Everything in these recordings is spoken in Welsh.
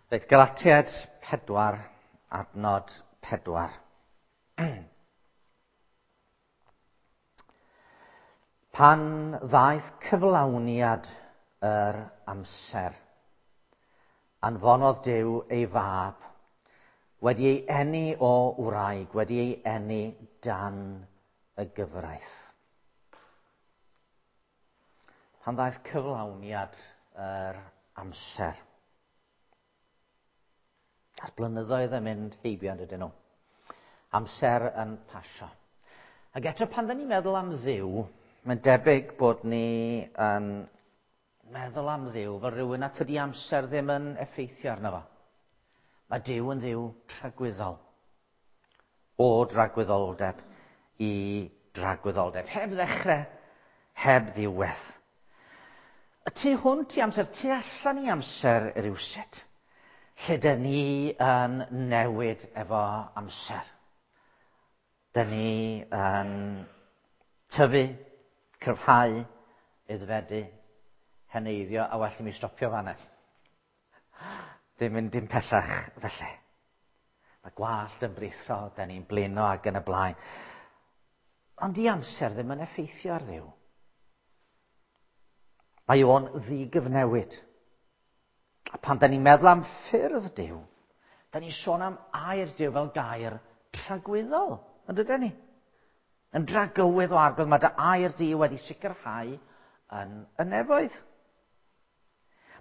Reit, Galatiaid 4, adnod 4. Pan ddaeth cyflawniad yr amser, anfonodd Duw ei fab, wedi ei eni o wraig, wedi ei eni dan y gyfraith. Pan ddaeth cyflawniad yr amser. A'r blynyddoedd yn mynd heibio yn dydyn nhw. Amser yn pasio. Ac eto pan dyn ni'n meddwl am Dduw, mae'n debyg bod ni yn meddwl am Dduw fel rhywun a tydi amser ddim yn effeithio arno fo. Mae Duw yn Dduw tragwyddol. O dragwyddoldeb i dragwyddoldeb. Heb ddechrau, heb ddiwedd. Y tu hwnt i amser, tu allan i amser rywsut, lle dyn ni yn newid efo amser. Dyn ni yn tyfu, cryfhau, aeddfedu, heneiddio, a well i mi stopio fanna. Ddim mynd dim pellach felly. Mae gwallt yn brithro, da ni'n blino ac yn y blaen. Ond di amser ddim yn effeithio ar Dduw. Mae o'n ddigyfnewid. A pan da ni'n meddwl am ffyrdd Duw, da ni'n sôn am air Duw fel gair tragwyddol, yn dydyn ni? Yn dragywydd o arglwydd, mae dy air di wedi sicrhau yn y nefoedd.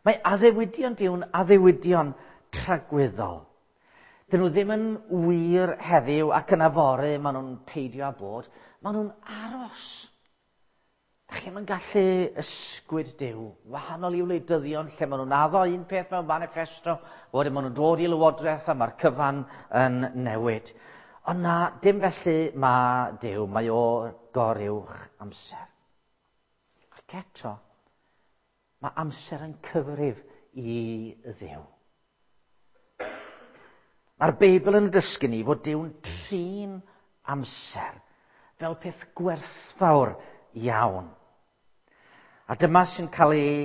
Mae addewidion Duw'n addewidion tragwyddol. Dyn nhw ddim yn wir heddiw ac yn afory, maen nhw'n peidio â bod. Maen nhw'n aros. Da chi'm yn gallu ysgwyd Duw, wahanol i wleidyddion lle maen nhw'n addo un peth mewn manifesto, wedyn maen nhw'n dod i lywodraeth a mae'r cyfan yn newid. Ond na, dim felly mae Duw, mae o goruwch amser. Ac eto, mae amser yn cyfrif i Dduw. Mae'r Beibl yn dysgu ni fod Duw'n trin amser fel peth gwerthfawr iawn. A dyma sy'n cael ei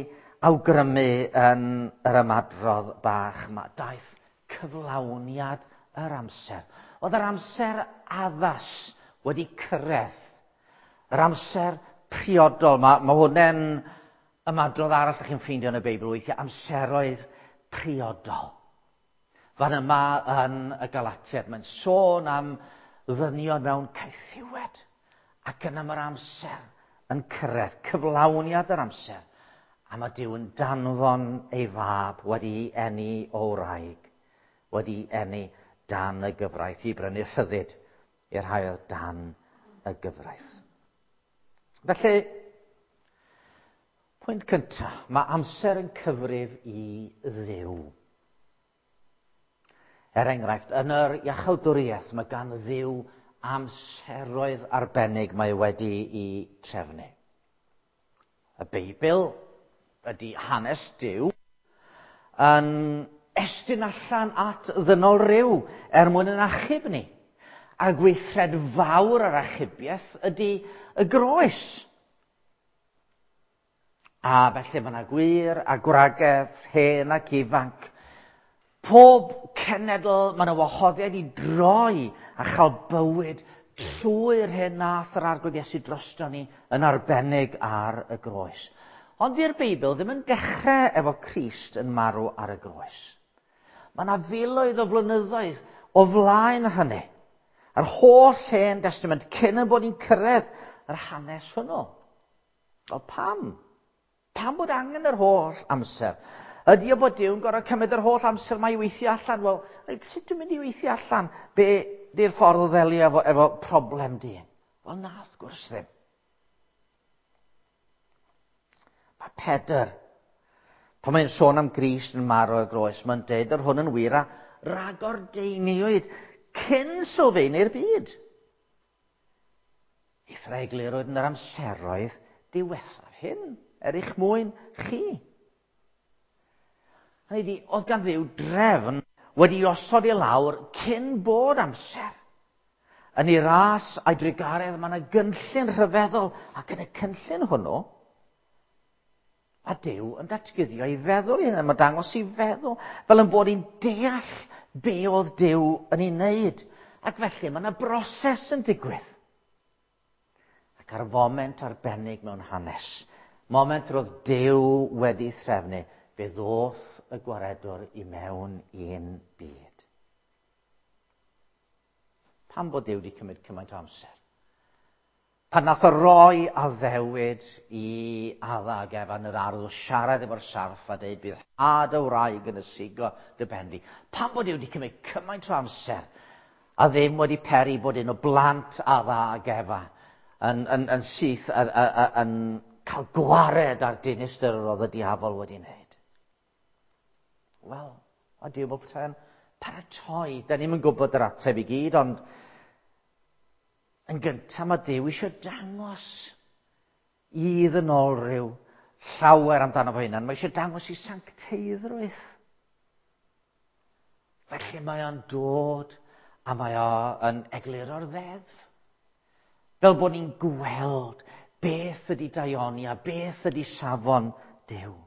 awgrymu yn yr ymadrodd bach yma. Daeth cyflawniad yr amser. Oedd yr amser addas wedi cyrraedd. Yr amser priodol. Mae, mae hwnna'n ymadrodd arall ydych chi'n ffeindio yn y Beibl weithiau, amseroedd priodol. Fan yma yn y Galatiaid, mae'n sôn am ddynion mewn caethiwed, ac yna mae'r amser yn cyrraedd, cyflawniad yr amser, a mae Duw yn danfon ei fab wedi eni o wraig, wedi eni dan y gyfraith i brynu rhyddid i'r rhai oedd dan y gyfraith. Felly, pwynt cyntaf, mae amser yn cyfrif i Dduw. Er enghraifft, yn yr iachawdwriaeth mae gan Dduw amseroedd arbennig mae wedi i trefnu. Y Beibl ydy hanes Duw yn estyn allan at ddynol ryw er mwyn yn achub ni. A gweithred fawr yr achubiaeth ydy y groes. A felly mae yna gwir a gwragedd, hen ac ifanc. Pob cenedl, mae yna wahoddiad i droi a chael bywyd trwy'r hyn nath yr Arglwydd Iesu drosto ni yn arbennig ar y groes. Ond di'r Beibl ddim yn dechrau efo Crist yn marw ar y groes. Mae yna filoedd o flynyddoedd o flaen hynny. Yr holl Hen Destament cyn y bod ni'n cyrraedd yr hanes hwnnw. Wel, pam? Pam bod angen yr holl amser? Ydy o bod Duw'n gorfod cymryd yr holl amser mae i weithio allan? Wel, reit, sut dwi'n mynd i weithio allan? Be di'r ffordd o ddelio efo, efo problem dyn? Wel, na, wrth gwrs ddim. Mae Pedr, pan mae'n sôn am Grist yn marw ar groes, mae'n deud yr hwn yn wir a ragordeiniwyd cyn sylfaenu'r byd. Eithr eglurwyd yn yr amseroedd diwethaf hyn, er eich mwyn chi. Hynny ydi, oedd gan Dduw drefn wedi osod i lawr cyn bod amser. Yn ei ras a'i drugaredd mae yna gynllun rhyfeddol, ac yn y cynllun hwnnw, A Duw yn datguddio ei feddwl i hynny, mae'n dangos i feddwl, fel yn bod ni'n deall be oedd Duw yn ei wneud. Ac felly mae yna broses yn digwydd. Ac ar foment arbennig mewn hanes, moment roedd Duw wedi threfnu, fe ddoth y gwaredwr i mewn i'n byd. Pam bod Duw wedi cymryd cymaint o amser? Pan nath o roi addewid i Adda ag Efa yn yr ardd o siarad efo'r sarff a dweud bydd had y wraig yn ysigo dy ben di. Pam bod Duw wedi cymryd cymaint o amser a ddim wedi peri bod un o blant Adda ag Efa yn, yn, yn syth yn, yn, yn cael gwared ar dinistr yr oedd y diafol wedi wneud? Wel, a Duw bod petai'n paratoi. Da ni'm yn gwybod yr ateb i gyd, ond yn gyntaf mae Duw eisiau dangos i ddynolryw llawer amdano fo hunan. Mae eisiau dangos i sancteiddrwydd. Felly mae o'n dod a mae o'n egluro'r ddeddf. Fel bod ni'n gweld beth ydy daioni a beth ydy safon Duw.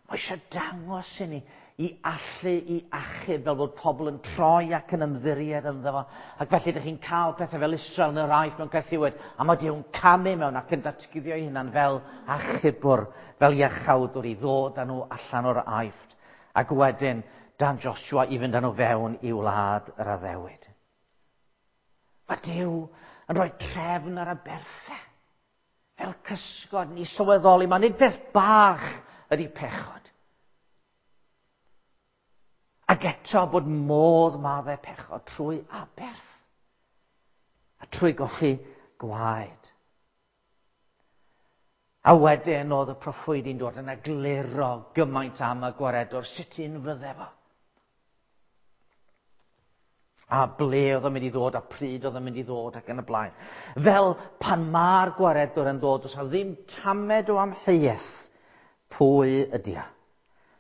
Mae eisiau dangos i ni i allu i achub fel bod pobl yn troi ac yn ymddiried ynddo fo. Ac felly ydych chi'n cael pethau fel Israel yn yr Aifft mewn caethiwed, a mae Duw'n camu mewn ac yn datguddio ei hunan fel achubwr, fel iachawdwr i ddod â nhw allan o'r Aifft, ac wedyn dan Joshua i fynd â nhw fewn i wlad yr addewid. Mae Duw yn rhoi trefn ar aberthau. Fel cysgod ni sylweddoli, mae nid peth bach ydy pechod. Ac eto bod modd maddau pechod trwy aberth a trwy golli gwaed. A wedyn oedd y proffwydi'n dod yn egluro gymaint am y gwaredwr, sut un fydde fo. A ble oedd o'n mynd i ddod, a pryd oedd o'n mynd i ddod, ac yn y blaen. Fel pan mae'r gwaredwr yn dod, does na ddim tamed o amheuaeth pwy ydy o.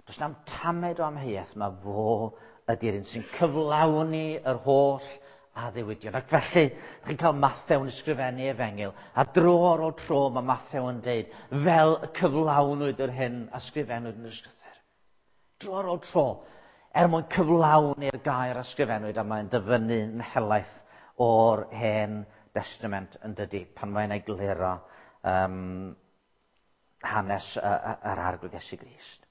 Does na'm tamed o amheuaeth, mae fo ydy'r un sy'n cyflawni yr holl addewidion. Ac felly, chi'n cael Mathew yn ysgrifennu efengyl, a dro ar ôl tro mae Mathew yn deud, fel y cyflawnwyd yr hyn a sgrifennwyd yn yr ysgrythur. Dro ar ôl tro, er mwyn cyflawni'r gair a sgrifennwyd, a mae'n dyfynnu yn helaeth o'r Hen Destament yn dydy, pan mae'n egluro hanes yr Arglwydd Iesu Grist.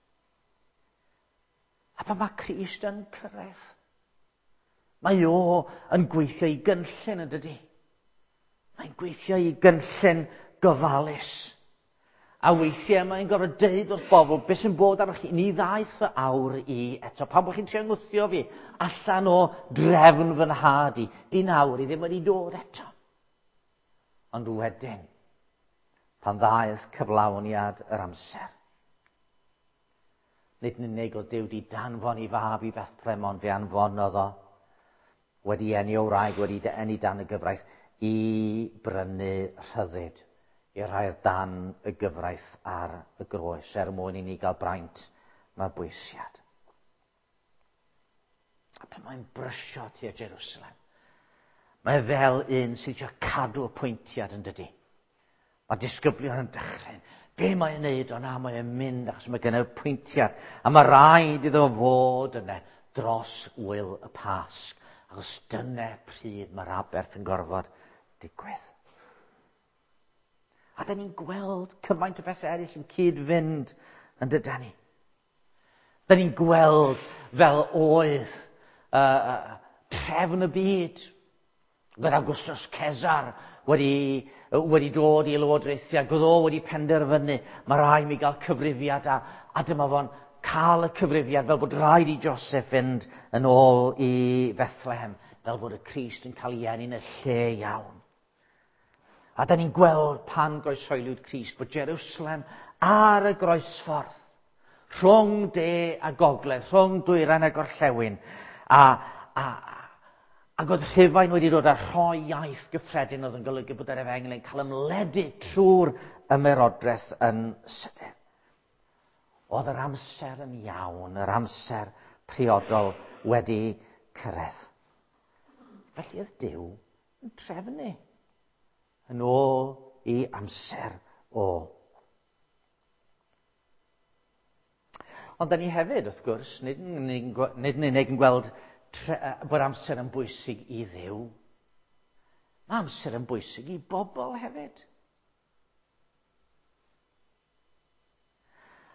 A pan mae Crist yn cyrraedd, mae o yn gweithio i gynllun yn dydy. Mae'n gweithio i gynllun gofalus. A weithiau mae'n gorfod deud wrth bobl beth sy'n bod arnoch chi. Ni ddaeth fy awr i eto. Pam bod chi'n trio ngwthio fi allan o drefn fy nhad i? Di'n awr i ddim wedi dod eto. Ond wedyn, pan ddaeth cyflawniad yr amser, nid yn unig oedd Duw di danfon i fab i Bethlehem, ond fe anfonodd o, wedi eni o wraig, wedi eni dan y gyfraith, i brynu rhyddid i'r rhai oedd dan y gyfraith ar y groes, er mwyn i ni gael braint mabwysiad. A pan mae'n brysio tua Jerusalem, mae fel un sydd eisiau cadw y pwyntiad yn dydy. Mae disgyblion yn dychryn. Be mae'n neud? O na, mae'n mynd achos mae gen y pwyntiad. A mae rhaid iddo fod yna dros wyl y Pasg. Achos dyna pryd mae'r aberth yn gorfod digwydd. A da ni'n gweld cymaint o bethau eraill yn cyd-fynd yn dydan ni. Da ni'n gweld fel oedd trefn y byd. Roedd Augustus Caesar wedi, wedi dod i lywodraethu ac oedd o wedi penderfynu mae rhaid mi gael cyfrifiad a, a dyma fo'n cael y cyfrifiad fel bod rhaid i Joseph fynd yn ôl i Bethlehem fel bod y Crist yn cael ei eni yn y lle iawn. A da ni'n gweld pan groeshoeliwyd Crist bod Jerusalem ar y groesffordd, rhwng de a gogledd, rhwng dwyrain a gorllewin, a, a, ac oedd Rhufain wedi dod â rhoi iaith gyffredin oedd yn golygu bod yr efengyl yn cael ymledu trwy'r ymerodraeth yn sydyn. Oedd yr amser yn iawn, yr amser priodol wedi cyrraedd. Felly oedd Duw yn trefnu yn ôl i amser o. Ond da ni hefyd, wrth gwrs, nid yn unig yn gweld bod amser yn bwysig i Dduw. Mae amser yn bwysig i bobl hefyd.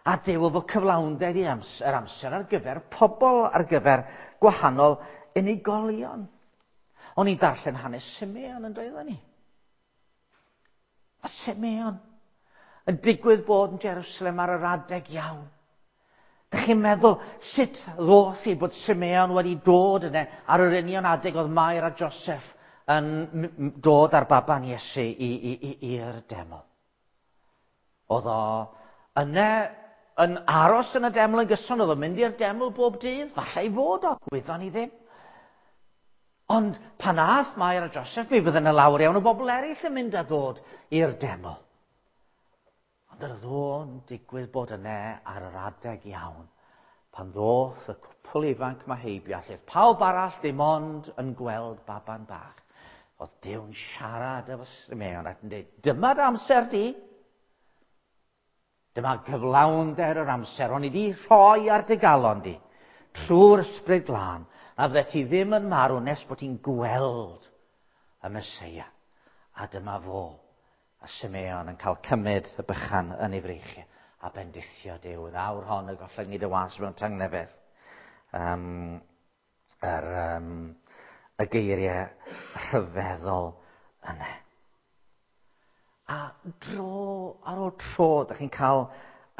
A Duw efo cyflawnder i amser, amser ar gyfer pobl, ar gyfer gwahanol unigolion. O'n i'n darllen hanes Simeon yn doedden ni. A Simeon yn digwydd bod yn Jerusalem ar yr adeg iawn. Dych chi'n meddwl sut ddoth i bod Simeon wedi dod yna ar yr union adeg oedd Mair a Joseph yn dod ar baban Iesu i'r deml. Oedd o yna yn aros yn y deml yn gyson, oedd o'n mynd i'r deml bob dydd, falle i fod o, gwyddon ni ddim. Ond pan ath Mair a Joseph, mi fydde yna lawer iawn o bobl eraill yn mynd a ddod i'r deml. Ond yr oedd o'n digwydd bod yna ar yr adeg iawn, pan ddoth y cwpl ifanc ma heibio, lle pawb arall ddim ond yn gweld baban bach. Oedd Duw'n siarad efo Simeon ac yn dweud, dyma dy amser di. Dyma gyflawnder yr amser, o'n i di rhoi ar dy galon di, trwy'r ysbryd glân, a fydde ti ddim yn marw nes bod ti'n gweld y Meseia. A dyma fo, a Simeon yn cael cymryd y bychan yn ei freichiau a bendithio Duw. Yn awr hon y gollyngi dy was mewn tangnefedd. Y geiriau rhyfeddol yna. A dro ar ôl tro, ydych chi'n cael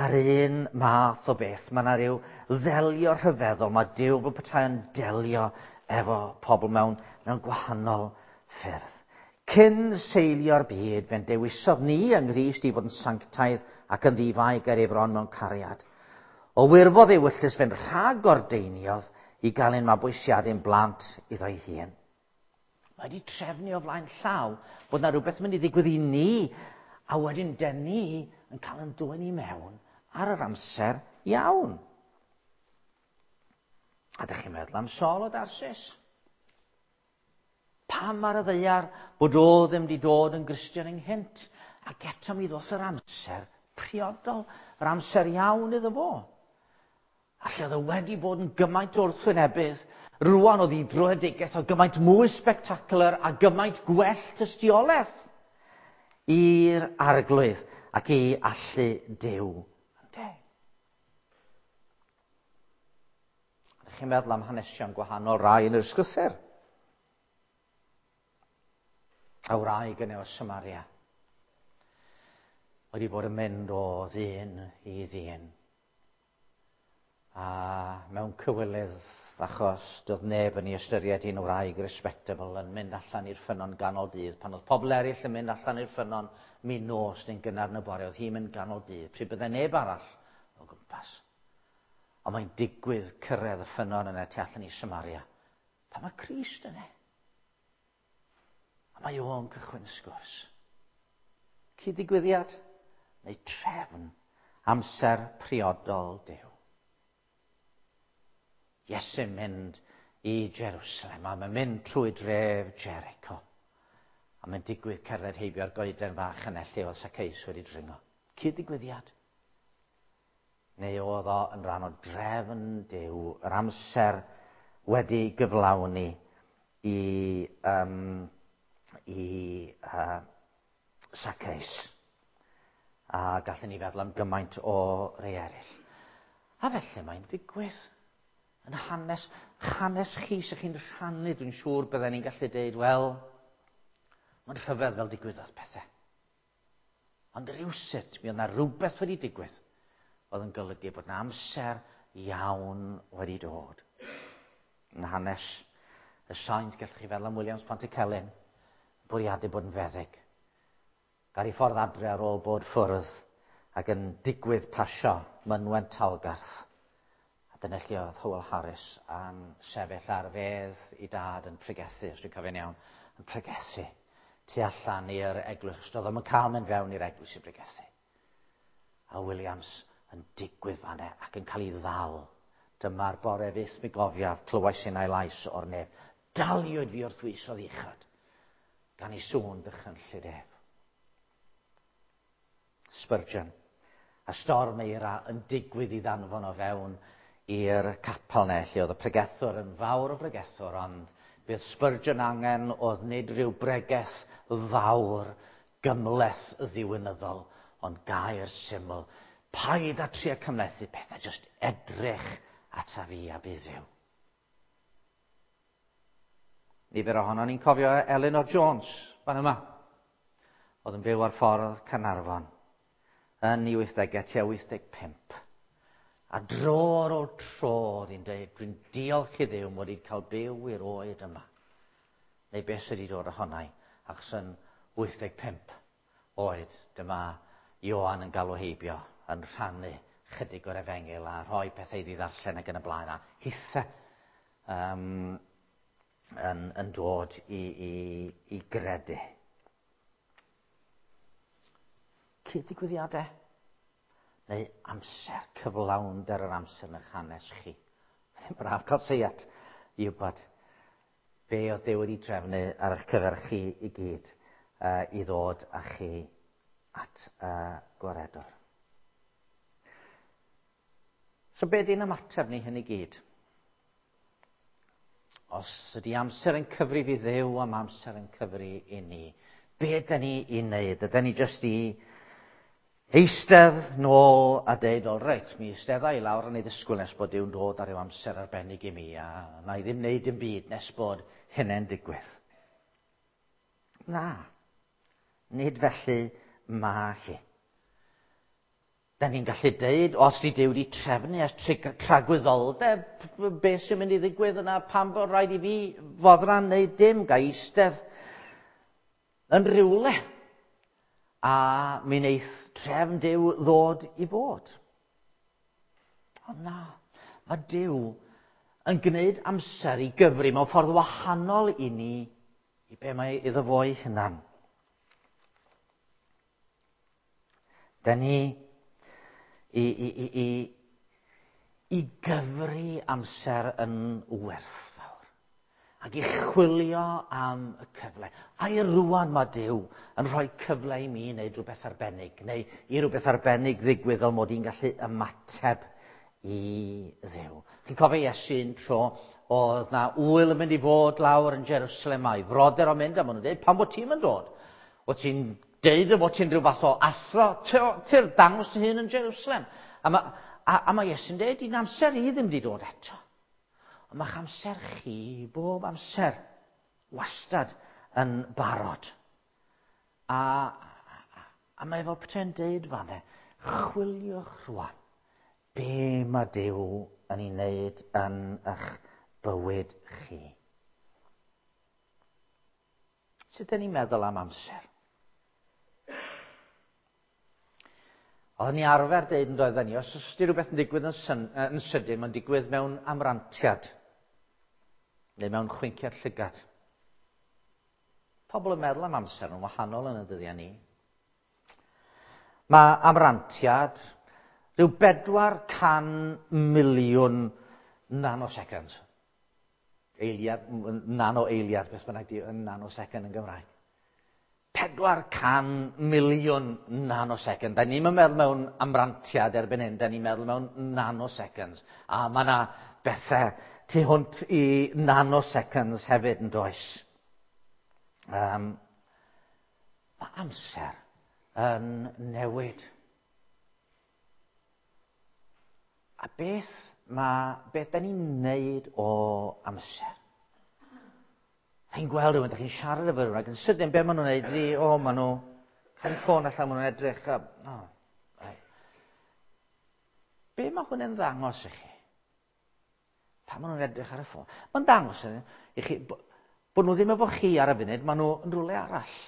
yr un math o beth. Mae yna rhyw ddelio rhyfeddol. Mae Duw fel petai yn delio efo pobl mewn gwahanol ffyrdd. Cyn seilio'r byd, fe'n dewisodd ni yng Nghrist i fod yn sanctaidd ac yn ddifai ger ei fron mewn cariad. O wirfodd ei wyllys fe'n rhagordeiniodd i gael ein mabwysiadu'n blant iddo'i hun. Mae wedi trefnu o flaen llaw bod yna rhywbeth yn mynd i ddigwydd i ni, a wedyn dyn ni yn cael yn dwyn i mewn ar yr amser iawn. A ydych chi'n meddwl am Saul o Darsis? Pam ar y ddaear bod o ddim wedi dod yn Gristion ynghynt? Ac eto mi ddoth yr amser priodol, yr amser iawn iddo fo. A lle oedd o wedi bod yn gymaint o'r wrthwynebydd, rwan oedd ei dröedigaeth o gymaint mwy spectacular a gymaint gwell tystiolaeth i'r arglwydd ac i allu Duw. Ynde? Ydych chi'n meddwl am hanesion gwahanol rai yn yr ysgrythur? A wraig yn o Samaria wedi bod yn mynd o ddyn i ddyn. A mewn cywilydd, achos doedd neb yn ei ystyried hi'n wraig respectable yn mynd allan i'r ffynnon ganol dydd. Pan oedd pobl eraill yn mynd allan i'r ffynnon min nos neu'n gynnar yn y bore, oedd hi'n mynd ganol dydd, pryd byddai neb arall o gwmpas. Ond mae'n digwydd cyrraedd y ffynnon yna tu allan i Samaria. Pan mae Crist yna. A mae o'n cychwyn y sgwrs. Cyd-ddigwyddiad neu trefn amser priodol Duw. Iesu'n mynd i Jerusalem, a mae'n mynd trwy dref Jericho. A mae'n digwydd cerdded heibio'r goeden fach yna lle oedd Zacchaeus wedi dringo. Cyd-ddigwyddiad. Neu oedd o yn rhan o drefn Duw, yr amser wedi gyflawni i Zacchaeus. A gallwn ni feddwl am gymaint o rei eraill. A felly mae'n digwydd. Yn hanes chi sy'ch chi'n rhannu, dwi'n siŵr bydden ni'n gallu deud, wel, mae'n rhyfedd fel digwyddodd pethau. Ond rywsut, mi oedd yna rhywbeth wedi digwydd oedd yn golygu bod yna amser iawn wedi dod. Yn hanes y saint, gallwch chi feddwl am Williams Pantycelyn, bwriadu bod yn feddyg. Gar ei ffordd adre ar ôl bod ffwrdd ac yn digwydd pasio mynwent Talgarth. A dyna lle oedd Howell Harris yn sefyll ar fedd i dad yn pregethu, os dwi'n cofio'n iawn, yn pregethu tu allan i'r eglwys. Doedd o'm yn cael mynd fewn i'r eglwys i pregethu. A Williams yn digwydd fan'na ac yn cael ei ddal. Dyma'r bore fyth mi gofiaf, clywais innau lais o'r nef. Daliwyd fi wrth wysodd uchod, gan ei sŵn dychrynllyd ef. Spurgeon A storm eira yn digwydd i ddanfon o fewn i'r capel 'ne, lle oedd y pregethwr yn fawr o bregethwr, ond bydd Spurgeon angen oedd nid rhyw bregeth fawr gymhleth ddiwinyddol, ond gair syml. Paid â trio cymhlethu pethau, jyst edrych ata fi a bydd fyw. Nifer ohonon ni'n cofio Elinor Jones, fan yma, oedd yn byw ar ffordd Caernarfon yn ei 80au, tua 85. A dro ar ôl tro oedd hi'n dweud, dwi'n diolch i Dduw mod i wedi cael byw i'r oed yma. Neu beth sydd wedi dod ohonau, achos yn 85 oed, dyma Ioan yn galw heibio, yn rhannu chydig o'r efengyl a rhoi pethau iddi ddarllen ac yn y blaen, a hithe yn dod i gredu. Cyd-ddigwyddiadau neu amser, cyflawnder yr amser yn eich hanes chi. Ddim braf cael seiat i wybod be oedd Duw wedi trefnu ar eich cyfer chi i gyd i ddod â chi at y gwaredwr. So be di'n ymateb ni hyn i gyd? Os ydy amser yn cyfrif i Dduw am amser yn cyfri i ni, be ydyn ni i wneud? Ydyn ni jyst i eistedd nôl a deud, o reit, mi eistedda i lawr yn ei ddisgwyl nes bod Duw'n dod ar ryw amser arbennig i mi, a na i ddim wneud dim byd nes bod hynny'n digwydd. Na, nid felly mae hi. Da ni'n gallu deud, os di Duw wedi trefnu ers tragwyddoldeb, beth sy'n mynd i ddigwydd yna, pam bod rhaid i fi foddran neu dim, ga eistedd yn rhywle, a mi wneith trefn Duw ddod i fod. Ond na, mae Duw yn gwneud amser i gyfri mewn ffordd wahanol i ni, i be mae iddo fo'i hunan. Da ni i gyfri amser yn werthfawr ac i chwilio am y cyfle. A i rwan mae Duw yn rhoi cyfle i mi wneud rhywbeth arbennig, neu i rhywbeth arbennig ddigwydd fel mod i'n gallu ymateb i Dduw. Chi'n cofio Iesu un tro, oedd na ŵyl yn mynd i fod lawr yn Jerusalem, a'i frodyr o'n mynd, a maen nhw'n dweud, pam bod ti'n mynd dod? O ti'n deud y bod ti'n rhyw fath o athro, ti'n dangos dy hun yn Jerusalem. A mae Iesu'n deud, di'n amser i ddim wedi dod eto. Ond mae'ch amser chi bob amser wastad yn barod. A mae fel petai'n deud fanne, chwiliwch rwan be mae Duw yn ei wneud yn eich bywyd chi. Sut ydyn ni'n meddwl am amser? Oedden ni arfer deud yn doedden ni, os ydy rhywbeth yn digwydd yn sydyn, mae'n digwydd mewn amrantiad, neu mewn chwinciad llygad. Pobl yn meddwl am amser yn wahanol yn y dyddiau ni. Mae amrantiad rhyw 400 miliwn nanoseconds. Eiliad, nano eiliad, beth bynnag di nanosecond yn Gymraeg. 400 miliwn nanosecond. Da ni'n meddwl mewn amrantiad erbyn hyn, da ni'n meddwl mewn nanoseconds. A mae yna bethau tu hwnt i nanoseconds hefyd yn does. Mae amser yn newid. A beth da ni'n wneud o amser? Chi'n gweld rhywun, da chi'n siarad efo rhywun, ac yn sydyn be maen nhw'n wneud ydi, o, maen nhw cael eu ffôn allan, maen nhw'n edrych, a, o, right. Be mae hwn yn ddangos i chi? Pan maen nhw'n edrych ar y ffôn? Mae'n dangos i chi bod nhw ddim efo chi ar y funud, maen nhw yn rhywle arall.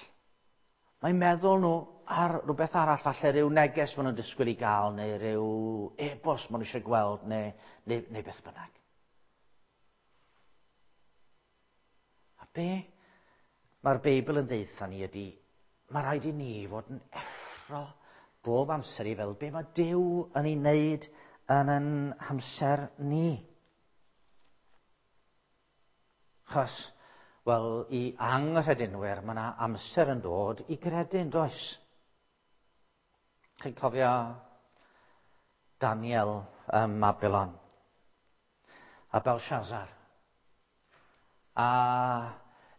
Mae'n meddwl nhw ar rhywbeth arall, falle rhyw neges maen nhw'n disgwyl i gael, neu rhyw e-bost maen nhw eisiau gweld, neu beth bynnag. A be mae'r Beibl yn deutha ni ydy, mae rhaid i ni fod yn effro bob amser i fel be mae Duw yn ei wneud yn ein hamser ni. Achos, wel, i anghredinwyr, mae yna amser yn dod i gredu'n does? Chi'n cofio Daniel ym Mabylon a Belshazzar. A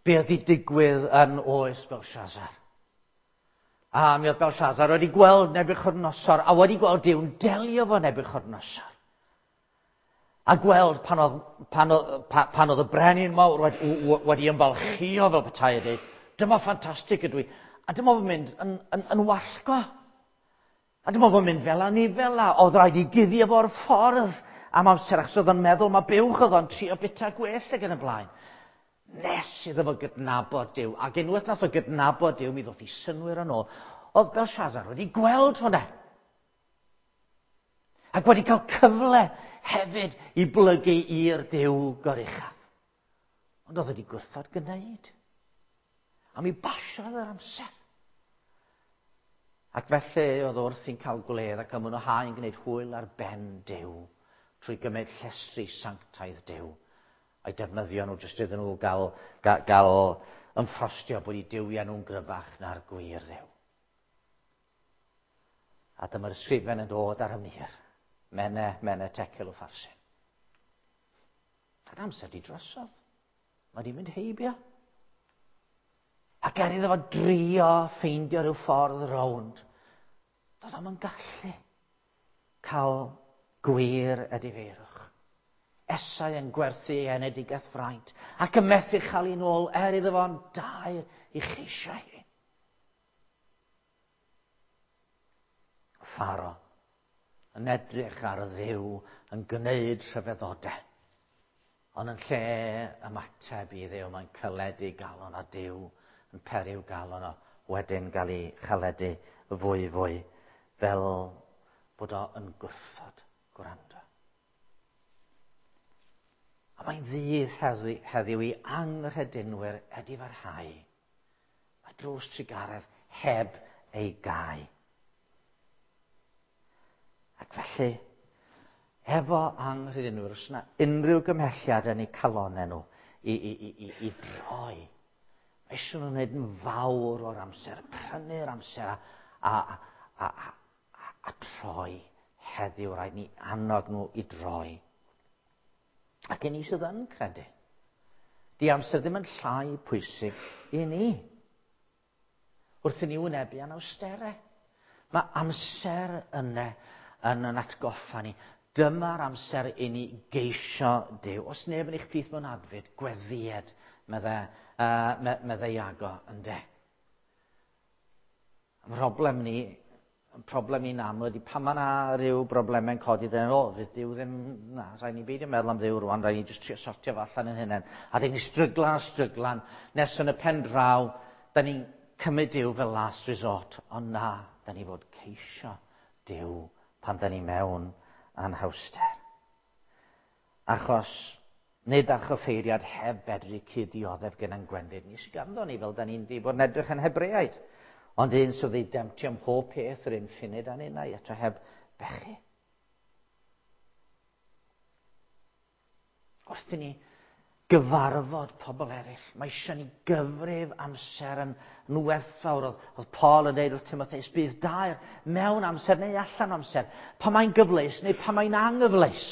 be oedd wedi digwydd yn oes Belshazzar. A mi oedd Belshazzar wedi gweld Nebuchadnezzar a wedi gweld Duw'n delio fo Nebuchadnezzar. A gweld pan oedd, pan oedd, pan oedd y brenin mawr wedi, wedi ymfalchio fel petai a dweud, dyma ffantastig ydw i. A dyma fo'n mynd yn, yn, yn wallgo. A dyma fo'n mynd fel anifel a oedd rhaid i guddio fo'r ffordd am amser achos oedd o'n meddwl mae buwch oedd o'n trio bita gwell ac yn y blaen. Nes iddo fo gydnabod Duw. Ac unwaith nath o gydnabod Duw, mi ddoth i synwyr yn ôl. Oedd Belshazzar wedi gweld hwnna. Ac wedi cael cyfle hefyd i blygu i'r Duw goruchaf. Ond oedd wedi gwrthod gwneud. A mi basiodd yr amser. Ac felly oedd wrth i'n cael gwledd ac ymwneud yn gwneud hwyl ar ben Duw trwy gymryd llestri sanctaidd Duw a'i defnyddio nhw jyst iddyn nhw gael, gael, gael ymffrostio bod eu duwiau nhw'n gryfach na'r gwir Dduw. A dyma'r ysgrifen yn dod ar y mur. Mene, mene, tecel o ffarsin. A'r amser di drosodd. Mae di mynd heibio. Ac er iddo fo drio ffeindio rhyw ffordd rownd, doedd o'm yn gallu cael gwir edifeirwch. Esau yn gwerthu ei enedigaeth fraint ac yn methu chael un ôl er iddo fo'n dair i cheisio hi. Pharo yn edrych ar y Dduw yn gwneud rhyfeddodau. Ond yn lle ymateb i Dduw, mae'n caledu galon a Duw yn periw galon o wedyn gael ei chaledu fwy fwy fel bod o yn gwrthod gwrando. A mae'n ddydd heddiw, heddiw i anghredinwyr edifarhau. Mae drws trugaredd heb ei gau. Ac felly, efo anghredinwyr, os yna unrhyw gymhelliad yn eu calonau nhw i, i, i, i, i droi, mae eisiau nhw'n gwneud yn fawr o'r amser, prynu'r amser a, a, a, a, a, a troi heddiw, rhaid ni annog nhw i droi. Ac i ni sydd yn credu, di amser ddim yn llai pwysig i ni. Wrth i ni wynebu anawsterau. Mae amser yna yn yn atgoffa ni. Dyma'r amser i ni geisio Duw. Os neb yn eich plith mewn adfyd, gweddied, medde, uh, medde Iago, ynde. Problem ni, problem ni'n aml ydy pan mae yna rhyw broblemau'n codi, dyn o, fydd Duw ddim, na, rhaid ni beidio meddwl am Dduw rwan, rhaid ni jyst trio sortio fo allan yn hunain. A dyn ni stryglan a stryglan, nes yn y pen draw, da ni'n cymryd Duw fel last resort, ond na, da ni fod ceisio Duw pan da ni mewn anhawster. Achos nid archoffeiriad heb fedru cyd-dioddef gyda'n gwendid ni sydd ganddo ni, fel da ni'n di bod yn edrych yn Hebreaid. Ond un sydd wedi demtio ym mhob peth yr un ffunud â ninnau, eto heb bechu. Wrth i ni gyfarfod pobl eraill, mae eisiau ni gyfrif amser yn, yn werthfawr. Oedd, oedd Paul yn dweud wrth Timotheus, bydd dair mewn amser neu allan amser, pan mae'n gyfleus neu pan mae'n anghyfleus.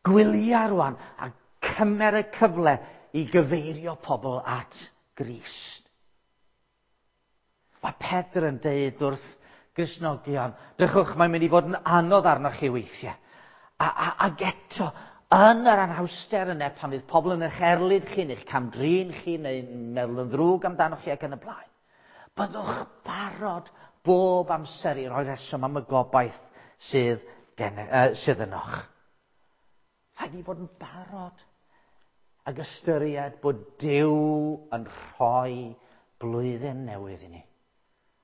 Gwylia rwan a cymer y cyfle i gyfeirio pobl at Grist. Mae Pedr yn deud wrth Gristnogion, drychwch, mae'n mynd i fod yn anodd arnoch chi weithiau. A, a, ac eto, yn yr anhawster yna, pan fydd pobl yn eich erlid chi, neu'ch camdrin chi, neu'n meddwl yn ddrwg amdanoch chi ac yn y blaen, byddwch barod bob amser i roi reswm am y gobaith sydd, gen, uh, sydd ynoch. Rhaid ni fod yn barod ag ystyried bod Duw yn rhoi blwyddyn newydd i ni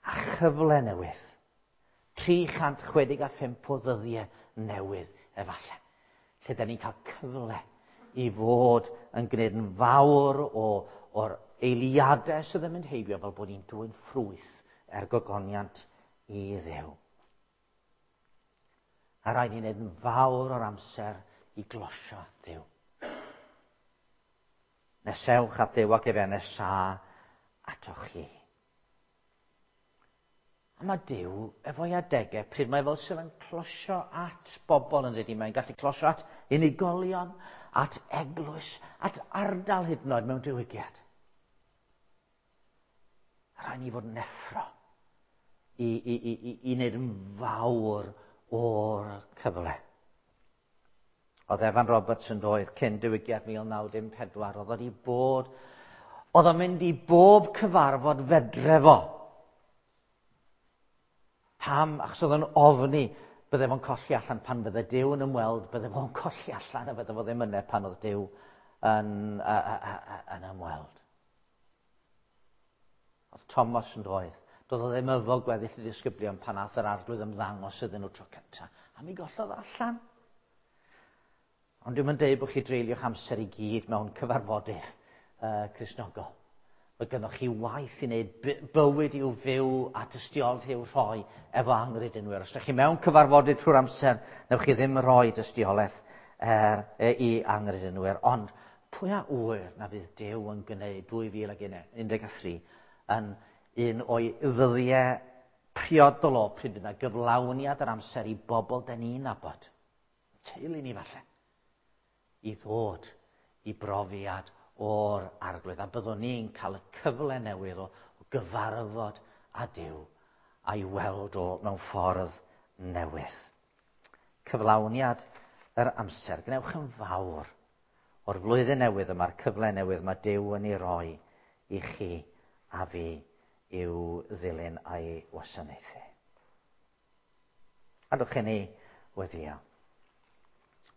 a chyfle newydd. 365 o ddyddiau newydd efallai. Lle da ni'n cael cyfle i fod yn gwneud yn fawr o, o'r eiliadau sydd yn mynd heibio fel bod ni'n dwyn ffrwyth er gogoniant i Dduw. A rhaid ni wneud yn fawr o'r amser i glosio Duw. Nesewch at Dduw ac efe nesa atoch chi. A mae Duw efo'i adegau pryd mae fel sydd yn closio at bobl yn dydy. Mae'n gallu closio at unigolion, at eglwys, at ardal hyd yn oed mewn diwygiad. Rhaid ni fod yn effro i wneud yn fawr o'r cyfle. Oedd Evan Roberts yn doedd cyn diwygiad 1914, oedd wedi bod, oedd o'n mynd i bob cyfarfod fedre fo. Pam? Achos oedd o'n ofni bydde fo'n colli allan pan fydde Duw yn ymweld, bydde fo'n colli allan a bydde fo ddim yna pan oedd Duw yn ymweld. Oedd Thomas yn doedd. Doedd o ddim efo gweddill y disgyblion pan ath yr arglwydd ymddangos iddyn nhw tro cyntaf. A mi gollodd allan. Ond dwi'm yn deud bod chi dreulio'ch amser i gyd mewn cyfarfodydd Cristnogol. Mae gynnoch chi waith i wneud, bywyd i'w fyw a tystiolaeth i'w rhoi efo anghredinwyr. Os ydych chi mewn cyfarfodydd trwy'r amser, newch chi ddim rhoi tystiolaeth i anghredinwyr. Ond pwy a ŵyr na fydd Duw yn gwneud 2013 yn un o'i ddyddiau priodol o pryd fydd yna gyflawniad yr amser i bobl den ni'n nabod, teulu ni falle, i ddod i brofiad o'r arglwydd. A byddwn ni'n cael y cyfle newydd o gyfarfod â Duw a'i weld o mewn ffordd newydd. Cyflawniad yr amser. Gwnewch yn fawr o'r flwyddyn newydd yma'r cyfle newydd mae Duw yn ei roi i chi a fi i'w ddilyn a'i wasanaethu. Adwch i ni weddïo.